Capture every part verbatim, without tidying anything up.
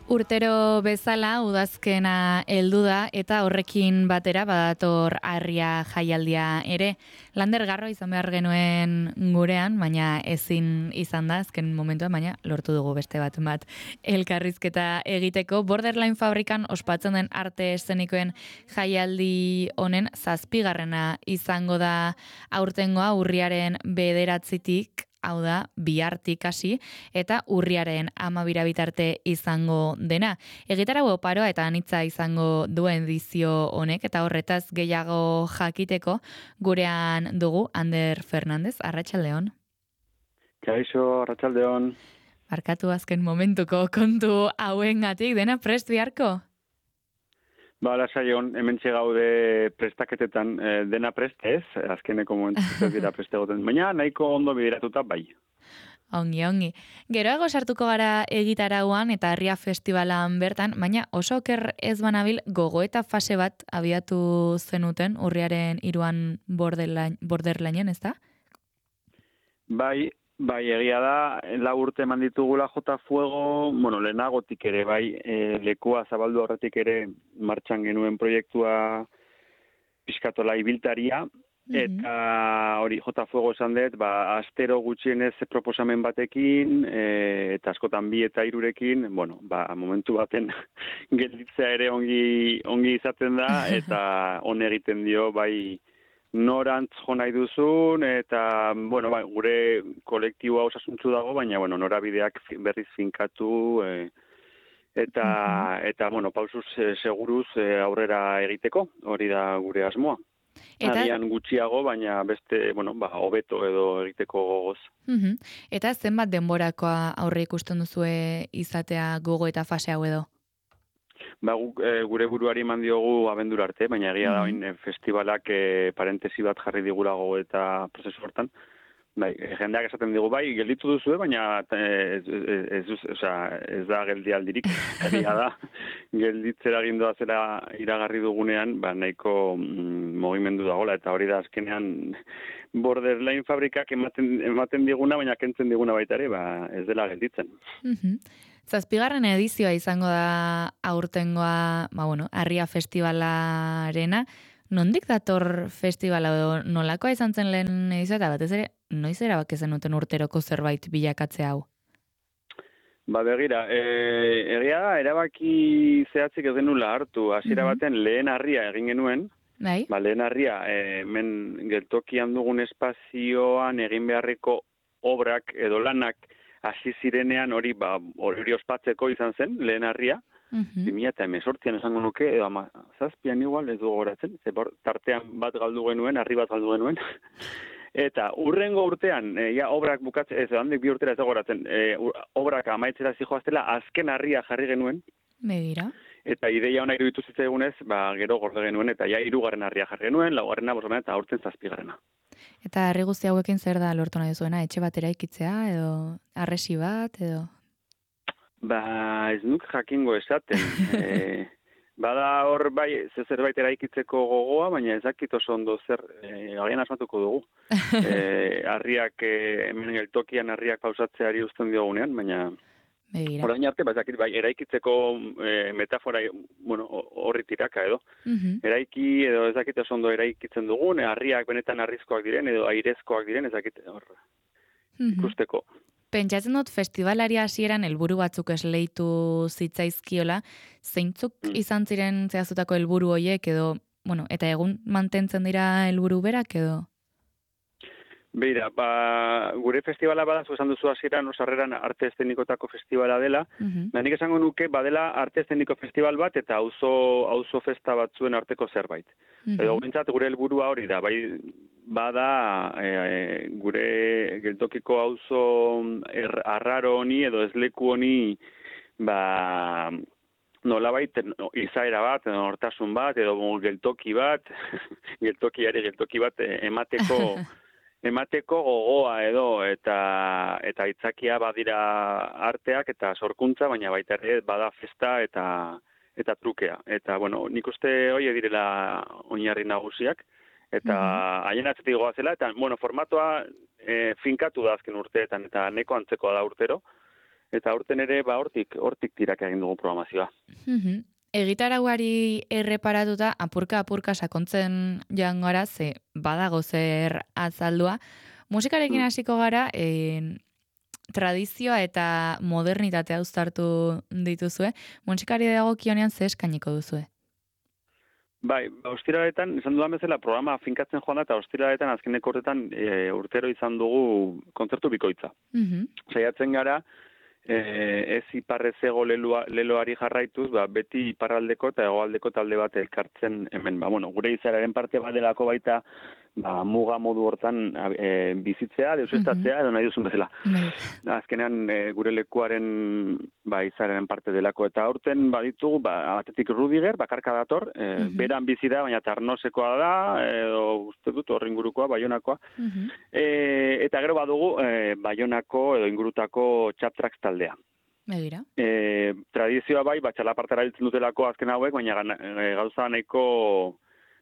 Urtero bezala udazkena heldu da eta horrekin batera badator harria jaialdia ere. Lander garro izan behar genuen gurean, baina ezin izan da azken momentuan, baina lortu dugu beste bat bat elkarrizketa egiteko. Borderline fabrikan ospatzen den arte eszenikoen jaialdi honen zazpigarrena izango da aurtengoa urriaren bederatzitik, hau da, bihartik hasi, eta urriaren amabira bitarte izango dena. Egitarau oparoa eta anitza izango duen edizio honek, eta horretaz gehiago jakiteko gurean dugu Ander Fernandez. Arratsaldeon. Kaixo, arratsaldeon. Barkatu azken momentuko kontu hauengatik, dena prest biharko? Ba, lasaion, hementxe gaude prestaketetan, eh, dena prest ez, azkeneko momentu ez dira preste goten, baina nahiko ondo bideratuta bai. Ongi, ongi. Geroago sartuko gara egitarauan eta Harria Festivalan bertan, baina oso oker ez banabil gogoeta fase bat abiatu zenuten urriaren hiruan Borderlineen, ez da? Bai, bai, egia da, lau urte eman ditugula Jota Fuego, bueno, lehenagotik ere, bai, e, lekua zabaldu horretik ere martxan genuen proiektua pixkatola ibiltaria, eta hori Jota Fuego esan dut, ba, astero gutxienez proposamen batekin, e, eta askotan bi eta hirurekin, bueno, ba, momentu baten gelditzea ere ongi, ongi izaten da, eta on egiten dio, bai, norantz jo nahi duzun, eta, bueno, bai, gure kolektiboa osasuntzu dago, baina, bueno, norabideak berriz finkatu, e, eta, uh-huh. eta, bueno, pausuz e, seguruz e, aurrera egiteko, hori da gure asmoa. Eta agian gutxiago, baina beste, bueno, ba, hobeto edo egiteko gogoz. Uh-huh. Eta zenbat denborakoa aurre ikusten duzue izatea gogo eta fase hau edo? Ba, guk, e, gure buruari eman diogu abendura arte, baina egia da oin e, festivalak e, parentesi bat jarri digula gogo eta prozesu hortan. Bai, jendeak esaten digu, bai, gelditu duzue, baina ez, ez, ez, ez, ez da geldi aldirik. Egia da, gelditzera gindoa zera iragarri dugunean, ba, nahiko mm, mogimendu dagoela, eta hori da azkenean Borderline fabrikak ematen, ematen diguna, baina kentzen diguna baita ere, ba, ez dela gelditzen. Uh-huh. Zazpigarren edizioa izango da aurtengoa, ba, bueno, Harria Festivalarena. Nondik dator festivala edo nolakoa izan zen lehen edizioa, eta batez ere, noiz erabaki zenuten urteroko zerbait bilakatzea hau? Ba, begira, e, egia da, erabaki zehatzik ez genula hartu, hasiera Mhm. baten lehen harria egin genuen, Bai. ba, lehen harria, e, men geltokian dugun espazioan egin beharreko obrak edo lanak hasi zirenean hori, ba, hori ospatzeko izan zen, lehen harria, Mhm. bi mila hemezortzian esango nuke, edo ama, zazpian igual, ez du gogoratzen, ze bor, tartean bat galdu genuen, harri bat galdu genuen, eta urrengo urtean, e, ja, obrak bukatzen, ez, handik bi urtera ez da gogoratzen, e, obrak amaitzera zijoaztela, azken harria jarri genuen, Begira. eta ideia ona iruditu zitzaigunez, ba, gero gorde genuen, eta ja hirugarren harria jarri genuen, laugarrena, bosgarrena, eta aurten zazpigarrena. Eta harri guzti hauekin zer da lortu nahi duzuena? Etxe bat eraikitzea, edo harresi bat, edo? Ba, ez nuk jakingo esaten. e, bada hor, bai, ze zerbait eraikitzeko gogoa, baina ez dakit oso ondo zer, e, agian asmatuko dugu. e, harriak, e, hemen geltokian harriak pausatzeari uzten diogunean, baina Begira. orain arte, ba, ez dakit, bai, eraikitzeko e, metafora, bueno, horri tiraka edo. Mhm. Eraiki, edo ez dakit oso ondo eraikitzen dugun, harriak benetan harrizkoak diren, edo airezkoak diren, ez dakit hor Mhm. ikusteko. Pentsatzen dut festivalari hasieran helburu batzuk esleitu zitzaizkiola, zeintzuk Mm. izan ziren zehazutako helburu hoiek edo, bueno, eta egun mantentzen dira helburu berak edo? Beira, ba, gure festivala bada, zu esan duzu hasieran osarreran arte eszenikodako festivala dela, Mhm. ba, nik esango nuke badela arte eszeniko festival bat eta auzo auzo festa batzuen arteko zerbait. Mhm. Edo behintzat gure helburua hori da, bai bada e, gure geltokiko auzo er, arraro honi edo ezleku honi ba nolabait no, izaera bat, edo hortasun bat, edo geltoki bat, geltokiari geltoki bat e, emateko emateko gogoa edo eta eta aitzakia badira arteak eta sorkuntza, baina baita ere bada festa eta eta trukea. Eta bueno, nik uste hori direla oinarri nagusiak eta haien mm-hmm. atzetik goazela eta bueno, formatoa e, finkatu da azken urteetan eta neko antzekoa da urtero. eta aurten ere, ba, hortik, hortik tirak egin dugu programazioa. Mhm. Egitarauari erreparatuta apurka-apurka sakontzen joan gara, ze badago zer azaldua. Musikarekin hasiko gara, e, tradizioa eta modernitatea uztartu dituzue. Musikari dagokionean ze eskainiko duzue? Bai, ostiraletan, esan dudan bezala, programa finkatzen joan da, eta ostiraletan azkeneko urtetan e, urtero izan dugu kontzertu bikoitza. Mhm. Saiatzen gara, e, ez iparrezego leloa, leloari jarraituz, ba, beti iparraldeko eta hegoaldeko talde bat elkartzen hemen. Ba, bueno, gure izararen parte bat delako baita, ba, muga modu hortan e, bizitzea, deusestatzea, edo nahi duzun bezala. Azkenean, e, gure lekuaren ba, izararen parte delako. Eta aurten baditugu, ba, batetik Rudiger, bakarka dator, e, Mhm. beran bizi da, baina Tarnosekoa da, edo uste dut, horren ingurukoa, Baionakoa. Mhm. E, eta gero badugu, e, Baionako edo ingurutako Chaptracks taldea. Begira. E, tradizioa bai, ba, txalapartara biltzen dutelako azken hauek, baina gana, e, gauza nahiko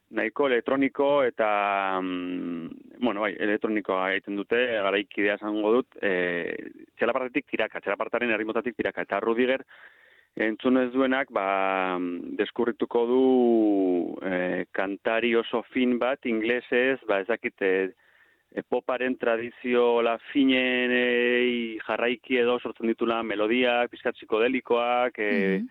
nahiko elektroniko eta, mm, bueno, bai, elektronikoa egiten dute, garaikidea esango dut, e, txalapartatik tiraka, txalapartaren errimotatik tiraka, eta Rudiger, entzun ez duenak, ba, deskurrituko du e, kantari oso fin bat, inglesez, ba, ezakit, e, e, poparen tradizio la finenei jarraiki edo sortzen ditula melodiak, pizkat psikodelikoak, e, Mhm.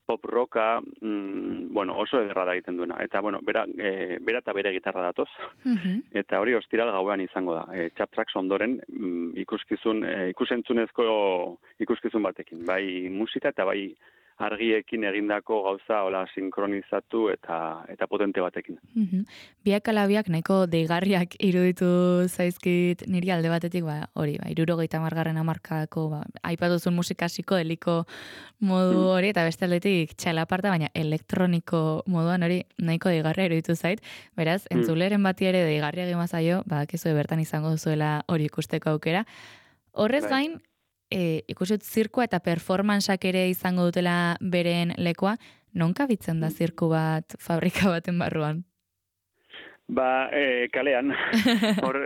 pop rocka, mm, bueno, oso ederra da egiten duena. Eta, bueno, bera, e, bera eta bere gitarra datoz. Mhm. Eta hori ostiral gauean izango da. E, Chaptracks ondoren mm, ikuskizun, e, ikusentzunezko ikuskizun batekin. Bai musika eta bai argiekin egindako gauza hola sinkronizatu eta eta potente batekin. Mhm. Biak ala biak nahiko deigarriak iruditu zaizkit niri alde batetik, ba, hori, ba, hirurogeita hamargarren hamarkadako, ba, aipatuzun musika psikodeliko modu hori, eta beste aldetik txalaparta, baina elektroniko moduan hori nahiko deigarria iruditu zait. Beraz, entzuleren bati ere deigarria egin bazaio, badakizue bertan izango duzuela hori ikusteko aukera. Horrez gain, e, ikusut zirkua eta performanceak ere izango dutela beren lekoa, non kabitzen da zirku bat fabrika baten barruan? Ba, e, kalean. Hor,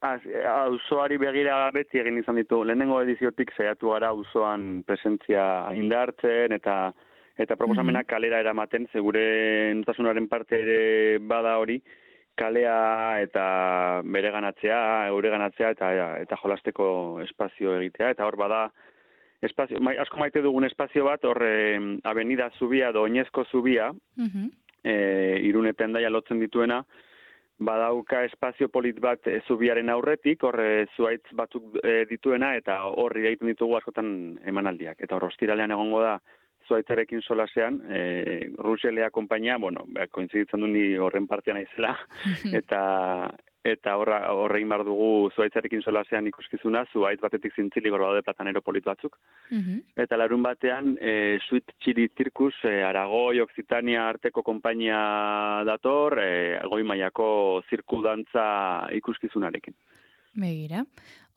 auzoari begira beti egin izan ditu. Lehenengo ediziotik saiatu gara auzoan presentzia indartzen eta eta proposamenak kalera eramaten, segure nutasunaren parte ere bada hori, kalea eta bere ganatzea, eure ganatzea eta eta jolasteko espazio egitea, eta hor bada espazio, ma, asko maite dugun espazio bat, hor eh, avenida zubia edo oinezko zubia, Mhm. eh, Irunetan daia lotzen dituena, badauka espazio polit bat e, zubiaren aurretik, hor e, zuaitz batzuk e, dituena, eta horri egiten ditugu askotan emanaldiak. Eta hor ostiralean egongo da zuaitzarekin solasean, e, Ruselea konpainia, bueno, koinziditzen du ni horren partean naizela, eta eta horra horrein bar dugu zuaitzarekin solasean ikuskizuna, zuaitz batetik zintzilik hor daude platanero polit batzuk. Mhm. Eta larun batean, e, Sweet Chili Circus, e, Aragoi, Occitania arteko konpainia dator, e, goi mailako zirku dantza ikuskizunarekin. Begira.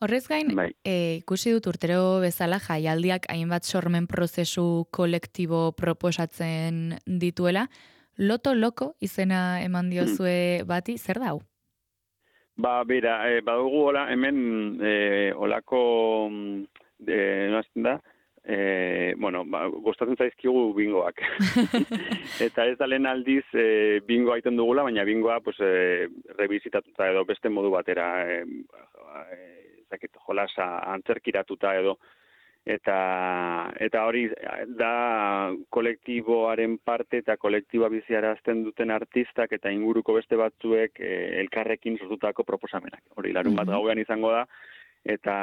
Horrez gain, Bai. e, ikusi dut urtero bezala jaialdiak hainbat sormen prozesu kolektibo proposatzen dituela. Loto Loko izena eman diozue bati, zer da hau? Ba, bera, e, badugu hola, hemen e, olako, e, nolazten da, e, bueno, ba, gustatzen zaizkigu bingoak. Eta ez da lehen aldiz e, bingoa egiten dugula, baina bingoa pues, e, revisitatuta edo beste modu batera, e, e, zakit, jolasa antzerkiratuta edo, eta eta hori da kolektiboaren parte eta kolektiboa biziarazten duten artistak eta inguruko beste batzuek e, elkarrekin sortutako proposamenak. Hori larun bat gauean izango da, eta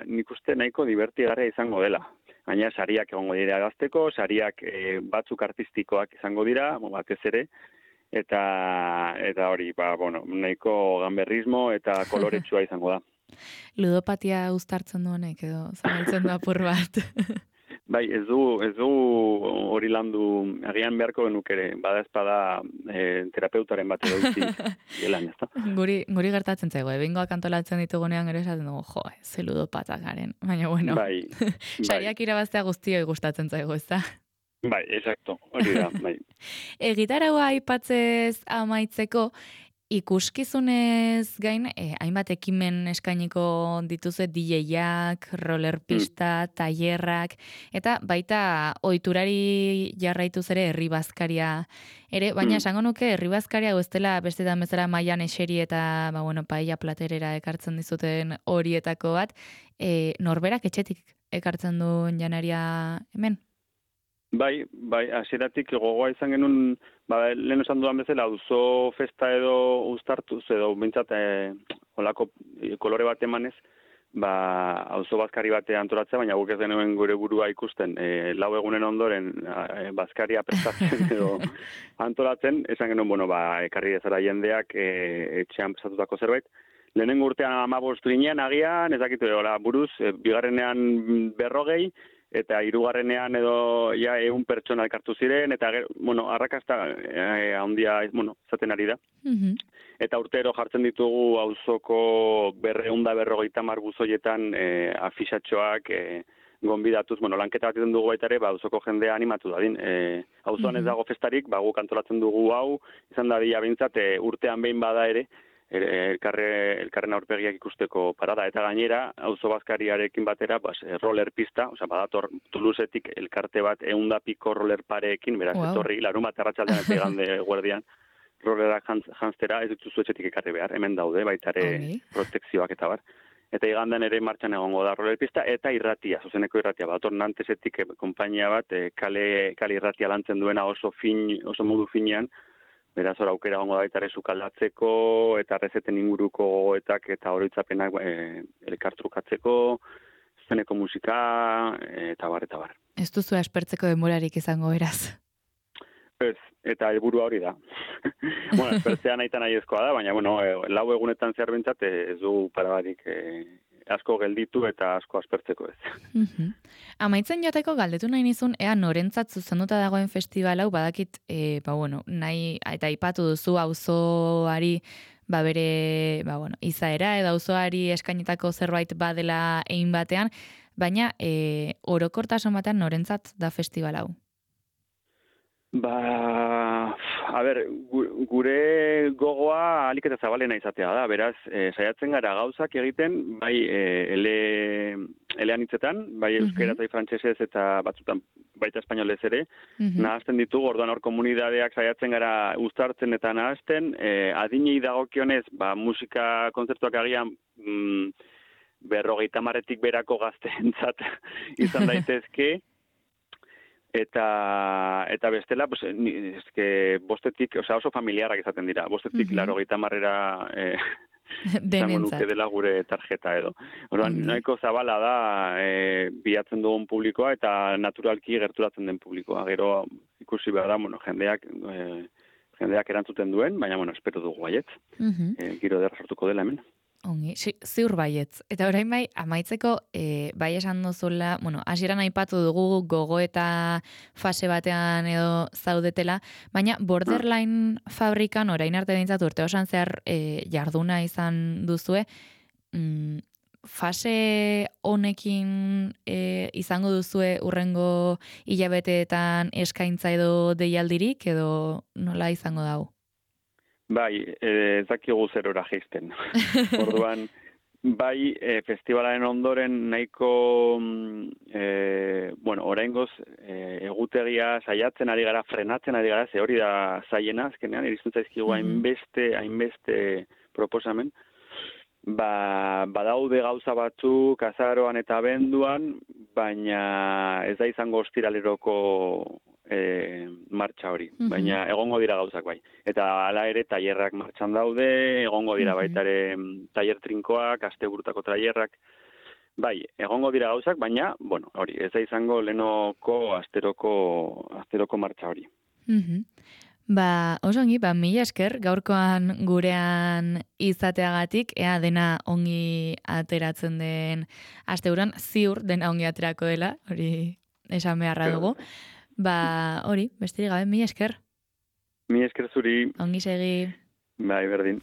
nik uste nahiko divertigarria izango dela. Baina sariak egongo dira gazteko, sariak e, batzuk artistikoak izango dira, batez ere, eta eta hori, ba, bueno, nahiko ganberrismo eta koloretsua izango da. Ludopatia uztartzen du honek edo zabaltzen du apur bat. Bai, ez du, ez du hori landu, agian beharko genuk ere, bada espada e, terapeutaren bat edo utzi gelan, ez da? Guri, guri gertatzen zaigu, ebingoak antolatzen ditugunean gero esaten dugu, jo, ze ludopatak garen. Baina, bueno, bai, sariak irabaztea guztioi gustatzen zaigu, ez da? Bai, exacto, hori da, bai. E, gitaraua aipatzez amaitzeko, ikuskizunez gain, eh, hainbat ekimen eskainiko dituzue D J-ak, roller pista, mm. tailerrak, eta baita ohiturari jarraituz ere herri bazkaria ere, baina esango nuke herri bazkaria ez dela bestetan bezala mailan eseri eta ba, bueno, paella platerera ekartzen dizuten horietako bat, eh, norberak etxetik ekartzen du janaria hemen? Bai, bai, hasieratik gogoa izan genuen, ba, lehen esan dudan bezala, auzo festa edo uztartuz, edo bintzat, eh, olako kolore bat emanez, ba, auzo bazkari bate antolatzea, baina guk ez genuen gure burua ikusten, eh, lau egunen ondoren eh, bazkaria prestatzen edo antolatzen, esan genuen, bueno, ba, ekarri dezara jendeak eh, etxean prestatutako zerbait. Lehenengo urtean hamabost ginean, agian, ez dakitu, hola, buruz, eh, bigarrenean berrogei, eta hirugarrenean edo ja ehun pertsona elkartu ziren, eta bueno, arrakasta eh, handia, bueno, zaten ari da. Mm-hmm. Eta urtero jartzen ditugu auzoko berrehun eta berrogeita hamar buzoietan eh, afixatxoak eh, gonbidatuz, bueno, lanketa bat egiten dugu baita ere, ba, auzoko jendea animatu dadin. Eh, auzoan mm-hmm. ez dago festarik, ba, guk antolatzen dugu hau, izan da dia bintzat, eh, urtean behin bada ere, elkarre, elkarren aurpegiak ikusteko parada, eta gainera, auzo bazkariarekin batera, bas, roller pista, oza, badator Toulousetik elkarte bat eunda piko roller pareekin, beraz, wow. Etorri, larun bat erratxaldean eta egande guardian, rollerak janztera, ez dituzu etxetik ekarri behar, hemen daude, baitare okay. Protekzioak eta bar. Eta igandan ere martxan egongo da roller pista, eta irratia, zuzeneko irratia, badator nantesetik konpainia bat, kale, kale irratia lantzen duena oso fin, oso modu finean, beraz, hor aukera gongo da baitare sukaldatzeko, eta rezeten inguruko gogoetak eta oroitzapenak e, elkartrukatzeko, zuzeneko musika, eta bar, eta bar. Ez duzu aspertzeko denborarik izango beraz? Ez, eta helburua hori da. bueno, aspertzea nahi eta nahi ezkoa da, baina, bueno, e, lau egunetan zehar bentsat, ez du parabarik e, asko gelditu eta asko aspertzeko ez. Mm-hmm. Amaitzen jateko galdetu nahi nizun, ea norentzat zuzenduta dagoen festival hau, badakit, e, ba bueno, nahi, eta aipatu duzu auzoari, ba bere, ba bueno, izaera edo auzoari eskainetako zerbait badela egin batean, baina e, orokortasun batean norentzat da festival hau? Ba, a ber, gure gogoa alik eta zabalena izatea da, beraz, e, saiatzen gara gauzak egiten, bai e, ele, elean hitzetan, bai euskera eta frantsesez eta batzutan baita espainolez ere, mm-hmm. nahazten ditugu, orduan hor komunidadeak saiatzen gara uztartzen eta nahazten, e, adinei dagokionez, ba, musika kontzertuak agian, mm, berrogeita marretik berako gazteentzat izan daitezke, Eta eta bestela, pues, eske bostetik, o sea, oso familiarrak izaten dira. Bostetik mm-hmm. laurogeita hamarrera eh, izango nuke dela gure tarjeta edo. Orduan, mm-hmm. nahiko zabala da eh, bilatzen dugun publikoa eta naturalki gerturatzen den publikoa. Gero ikusi behar da, bueno, jendeak eh, jendeak erantzuten duen, baina bueno, espero dugu baietz. Mm-hmm. Eh, giro derra sortuko dela hemen. Ongi, ziur baietz. Eta orain bai, amaitzeko, e, bai esan duzula, bueno, hasieran aipatu dugu gogo eta fase batean edo zaudetela, baina Borderline fabrikan orain arte dintzat urte osan zehar e, jarduna izan duzue, mm, fase honekin e, izango duzue urrengo hilabeteetan eskaintza edo deialdirik, edo nola izango dago? Bai, ez dakigu zerora geisten. Orduan, bai, e, festivalaren ondoren nahiko, e, bueno, oraingoz e, egutegia saiatzen ari gara, frenatzen ari gara, ze hori da zaiena, azkenean, irizten zaizkigu hainbeste, hainbeste proposamen, ba, badaude gauza batzuk azaroan eta abenduan, baina ez da izango ostiraleroko E, martxa hori, mm-hmm. baina egongo dira gauzak bai. Eta hala ere tailerrak martxan daude, egongo dira mm-hmm. baita ere tailer trinkoak, asteburutako tailerrak, bai, egongo dira gauzak, baina, bueno, hori, ez da izango lehenoko asteroko, asteroko martxa hori. Mm-hmm. Ba, oso ongi, ba, mila esker, gaurkoan gurean izateagatik, ea dena ongi ateratzen den asteburuan, ziur dena ongi aterako dela, hori esan beharra dugu. Ba, hori, besterik gabe, mi esker. Mi esker zuri. Ongi segi. Bai, berdin.